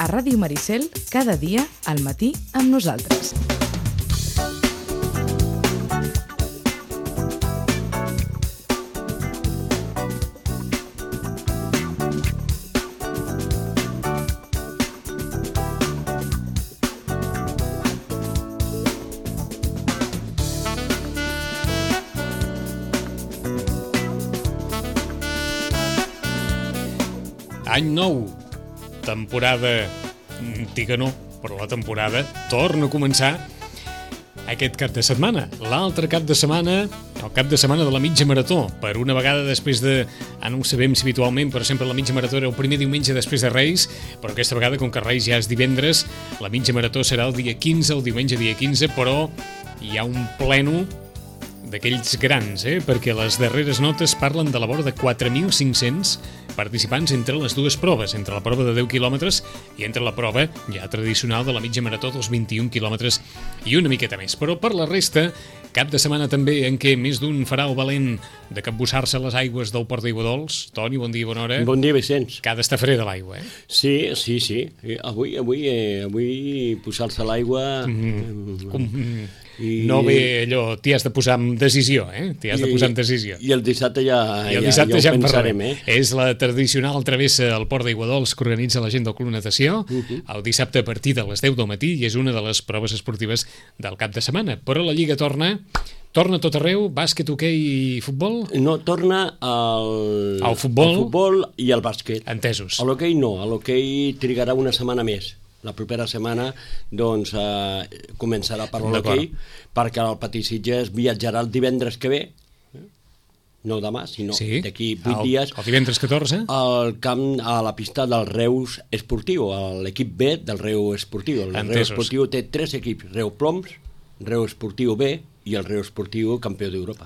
A Ràdio Maricel, cada dia, al matí, amb nosaltres. Any nou, temporada antiga no, però la temporada torna a començar aquest cap de setmana. L'altre cap de setmana, el cap de setmana de la mitja marató. Per una vegada després de, no ho sabem si habitualment, però sempre la mitja marató era el primer diumenge després de Reis, però aquesta vegada, com que Reis ja és divendres, la mitja marató serà el dia 15, el diumenge dia 15, però hi ha un pleno d'aquells grans, perquè les darreres notes parlen de la vora de 4.500 participants entre les dues proves, entre la prova de 10 quilòmetres i entre la prova ja tradicional de la mitja marató dels 21 quilòmetres i una miqueta més. Però per la resta, cap de setmana també en què més d'un farà el valent de capbussar-se a les aigües del Port d'Aiguadols. Toni, bon dia i bona hora. Bon dia, Vicenç. Que ha d'estar freda l'aigua, Sí. Avui posar-se a l'aigua... No ve allò, t'hi has de posar amb decisió, T'hi has de posar amb decisió. I el dissabte ja ho pensarem, És la tradicional travessa al Port d'Aiguadols que organitza la gent del Club Natació, el dissabte a partir de les 10 del matí, i és una de les proves esportives del cap de setmana. Però la Lliga torna a tot arreu, bàsquet, hoquei i futbol? No, torna al futbol i al bàsquet. Entesos. A l'hoquei no, a l'hoquei trigarà una setmana més. La propera setmana doncs, començarà per l'hoquei, perquè el Patí Sitges viatjarà el divendres que ve, no demà, sinó d'aquí 8 dies, el divendres 14, al camp, a la pista del Reus Esportiu, l'equip B del Reus Esportiu. El Reus Esportiu té 3 equips, Reus Ploms, Reus Esportiu B i el Reus Esportiu campió d'Europa.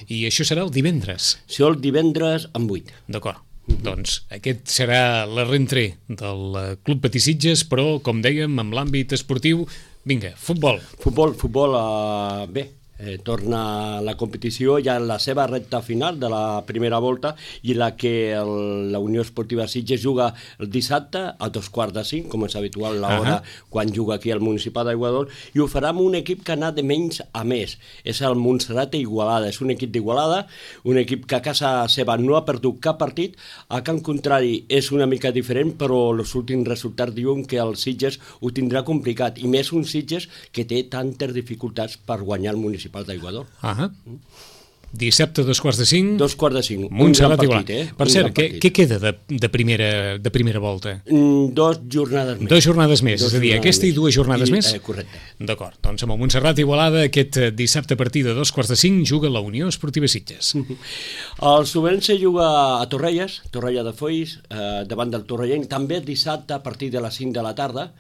I això serà el divendres? Sí, el divendres amb 8. D'acord. Doncs aquest serà la rentrée del Club Patí Sitges, però, com dèiem, amb l'àmbit esportiu, vinga, futbol. Futbol, bé, torna la competició ja en la seva recta final de la primera volta, i la que la Unió Esportiva Sitges juga el dissabte a 4:45, com és habitual l'hora quan juga aquí al Municipal d'Aiguadols, i ho farà amb un equip que ha anat de menys a més. És el Montserrat Igualada, és un equip d'Igualada, un equip que a casa seva no ha perdut cap partit. A Can Contrari és una mica diferent, però els últims resultats diuen que el Sitges ho tindrà complicat, i més un Sitges que té tantes dificultats per guanyar el Municipal d'Aiguadols. Dissabte, 4:45. 2:45. Montserrat Igualada. Per cert, què queda de primera volta? 2 jornades més. 2 jornades més, és a dir, aquesta i 2 jornades més? Correcte. D'acord, doncs amb el Montserrat Igualada aquest dissabte a partir de 2:45 juga la Unió Esportiva Sitges. El Sobrense juga a Torrelles, Torrella de Foix, davant del Torrellenc, també dissabte a partir de les 5 de la tarda.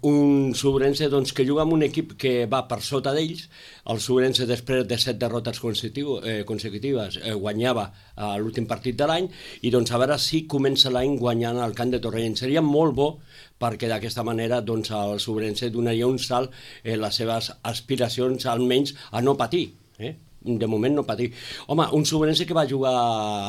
Un Sobrense doncs, que juga amb un equip que va per sota d'ells. El Sobrense, després de 7 derrotes consecutives, guanyava l'últim partit de l'any, i doncs a veure si comença l'any guanyant al camp de Torrellent. Seria molt bo, perquè d'aquesta manera doncs, el Sobrense donaria un salt en les seves aspiracions, almenys a no patir. De moment no patir. Home, un Sobrense que va jugar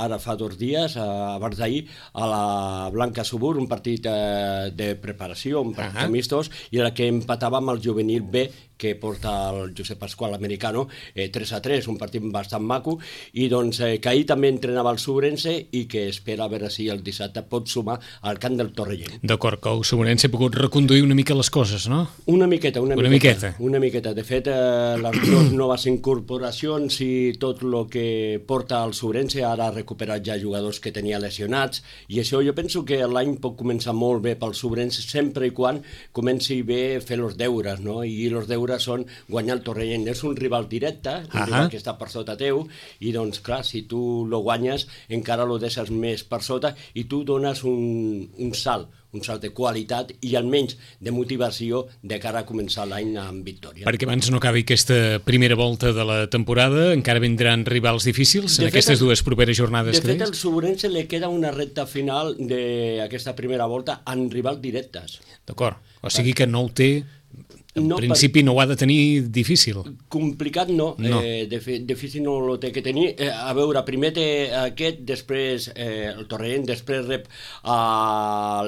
ara fa 2 dies, abans d'ahir, a la Blanca Subur, un partit de preparació, un partit amistós, i el que empatava amb el juvenil B, que porta el Josep Pasqual Americano, 3-3, un partit bastant maco, i doncs que ahir també entrenava el Sobrense i que espera a veure si el dissabte pot sumar al camp del Torrellent. D'acord, que el Sobrense ha pogut reconduir una mica les coses, no? Una miqueta. De fet, les 2 noves incorporacions i tot el que porta el Sobrense, ara ha recuperat ja jugadors que tenia lesionats, i això jo penso que l'any pot començar molt bé pel Sobrense, sempre i quan comenci bé a fer els deures, no? I els deures són guanyar el Torrellent. És un rival directe, un rival que està per sota teu, i doncs clar, si tu lo guanyes encara lo deixes més per sota, i tu dones un salt de qualitat i almenys de motivació de cara a començar l'any amb victòria. Perquè abans no acabi aquesta primera volta de la temporada, encara vindran rivals difícils en aquestes 2 properes jornades. De fet, al Sobrense li queda una recta final d'aquesta primera volta amb rivals directes. D'acord, o sigui que no ho té En principi no ho ha de tenir difícil. Complicat no. Difícil no ho té que tenir. A veure, primer té aquest, després el Torrent, després rep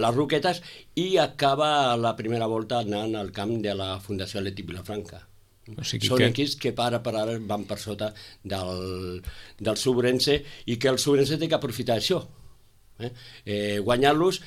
les Roquetes i acaba la primera volta anant al camp de la Fundació Atlètic Vilafranca. O sigui Són equips que per ara van per sota del Subrense i que el Subrense té que aprofitar això. Guanyar-los,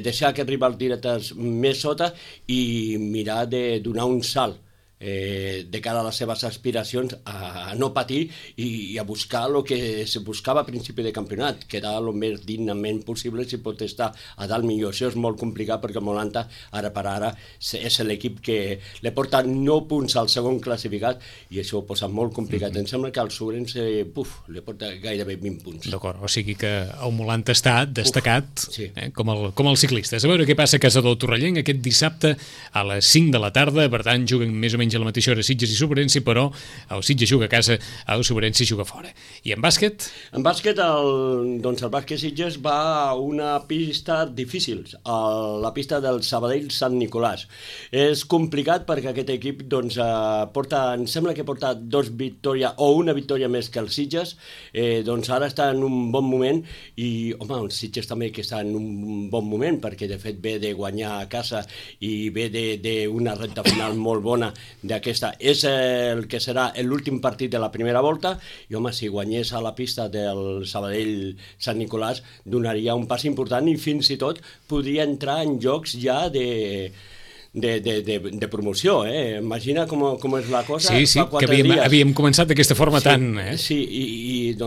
deixar que rival directes més sota i mirar de donar un salt de cara a les seves aspiracions a no patir i a buscar el que se buscava a principi de campionat, que era el més dignament possible si pot estar a dalt millor. Això és molt complicat perquè el Molanta ara per ara és l'equip que li porta 9 punts al segon classificat i això ho posa molt complicat. Em sembla que al Subrense li porta gairebé 20 punts. D'acord, o sigui que el Molanta està destacat sí. Com els ciclistes. A veure què passa a casa del Torrellenc aquest dissabte a les 5 de la tarda, per tant juguen més o menys a la mateixa hora Sitges i Subrense, però el Sitges juga a casa, el Subrense juga fora. I en bàsquet? En bàsquet, el bàsquet Sitges va a una pista difícil, la pista del Sabadell Sant Nicolàs. És complicat perquè aquest equip em sembla que porta 2 victòries o una victòria més que el Sitges, ara està en un bon moment i, home, el Sitges també que està en un bon moment perquè de fet ve de guanyar a casa i ve d'una recta final molt bona d'aquesta. És el que serà l'últim partit de la primera volta i, home, si guanyés a la pista del Sabadell Sant Nicolàs donaria un pas important i fins i tot podria entrar en jocs ja de promoció, Imagina com és la cosa. Sí, que havíem començat d'aquesta forma tan... Sí, i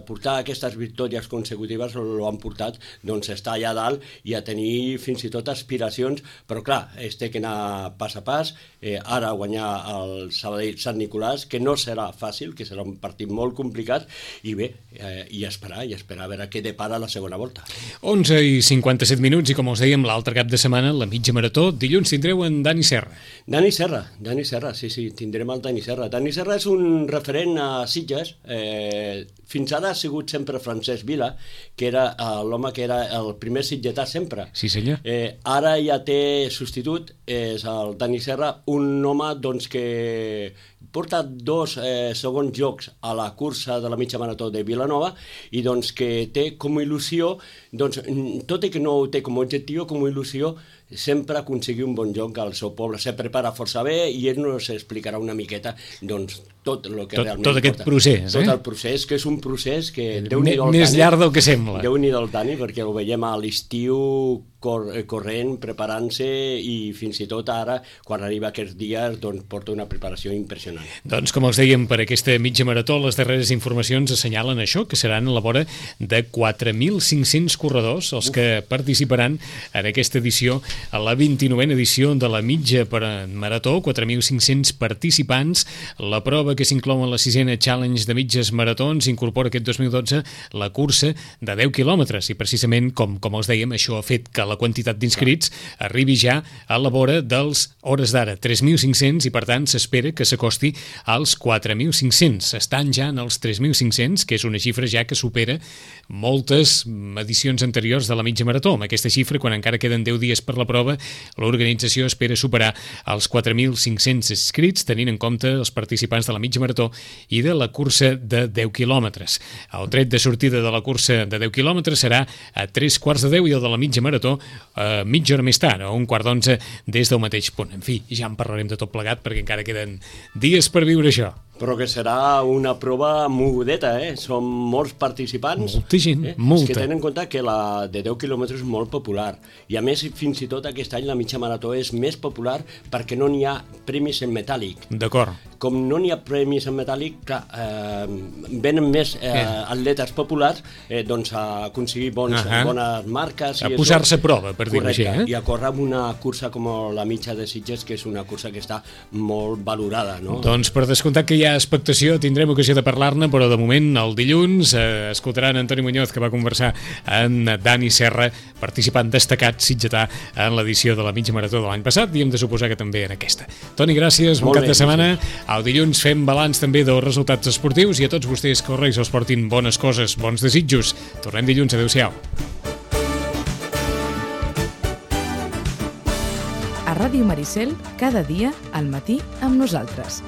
portar aquestes victòries consecutives l'han portat a estar allà dalt i a tenir fins i tot aspiracions, però clar, es té que anar pas a pas, ara guanyar el Sabadell Sant Nicolàs, que no serà fàcil, que serà un partit molt complicat, i bé, i esperar a veure què depara la segona volta. 11:57 i com us dèiem, l'altre cap de setmana, la mitja marató, dilluns tindreu en Dani Serra. Dani Serra, sí, tindrem el Dani Serra. Dani Serra és un referent a Sitges. Fins ara ha sigut sempre Francesc Vila, que era l'home que era el primer sitgetà sempre. Sí, senyor. Ara ja té substitut, és el Dani Serra, un home que porta 2 segons jocs a la cursa de la mitja marató de Vilanova i que té com a il·lusió, tot i que no ho té com a objectiu, com a il·lusió, sempre aconseguir un bon joc al seu poble. Se prepara força bé i ell nos explicarà una miqueta tot el que realment tot aquest procés. Tot el procés, que és un procés que... Més llarg del que sembla. Déu-n'hi-do el Dani, perquè ho veiem a l'estiu corrent, preparant-se i fins i tot ara, quan arriba aquests dies, porta una preparació impressionant. Doncs com els dèiem, per aquesta mitja marató, les darreres informacions assenyalen això, que seran a la vora de 4.500 corredors els que participaran en aquesta edició, a la 29a edició de la mitja marató, 4.500 participants. La prova que s'inclou en la 6a Challenge de mitges maratons incorpora aquest 2012 la cursa de 10 quilòmetres i precisament, com els dèiem, això ha fet que la quantitat d'inscrits arribi ja a la vora dels, hores d'ara, 3.500 i per tant s'espera que s'acosti als 4.500. Estan ja en els 3.500, que és una xifra ja que supera moltes edicions anteriors de la mitja marató. Amb aquesta xifra, quan encara queden 10 dies per la prova, l'organització espera superar els 4.500 inscrits, tenint en compte els participants de la mitja marató i de la cursa de 10 quilòmetres. El tret de sortida de la cursa de 10 quilòmetres serà a 3:15 i el de la mitja marató mitja hora més tard, o 11:45 des del mateix punt. En fi, ja en parlarem de tot plegat perquè encara queden dies per viure això. Però que serà una prova mogudeta, Són molts participants. Molta gent, molta. És que tenen en compte que la de 10 quilòmetres és molt popular. I a més, fins i tot aquest any la mitja marató és més popular perquè no n'hi ha premis en metàl·lic. D'acord. Com no n'hi ha premis en metàl·lic, clar, venen més atletes populars a aconseguir bones marques. A posar-se a prova, per dir-ho així. I a córrer amb una cursa com la mitja de Sitges, que és una cursa que està molt valorada, no? Doncs per descomptat que hi ha expectació, tindrem ocasió de parlar-ne, però de moment el dilluns escoltaran Antoni Muñoz, que va conversar amb Dani Serra, participant destacat sitgetà en l'edició de la mitja marató de l'any passat i hem de suposar que també en aquesta. Toni, gràcies, bon cap de setmana. El dilluns fem balanç també dels resultats esportius i a tots vostès que els Reis els portin bones coses, bons desitjos. Tornem dilluns, adeu-siau. A Ràdio Ràdio Maricel, cada dia al matí amb nosaltres.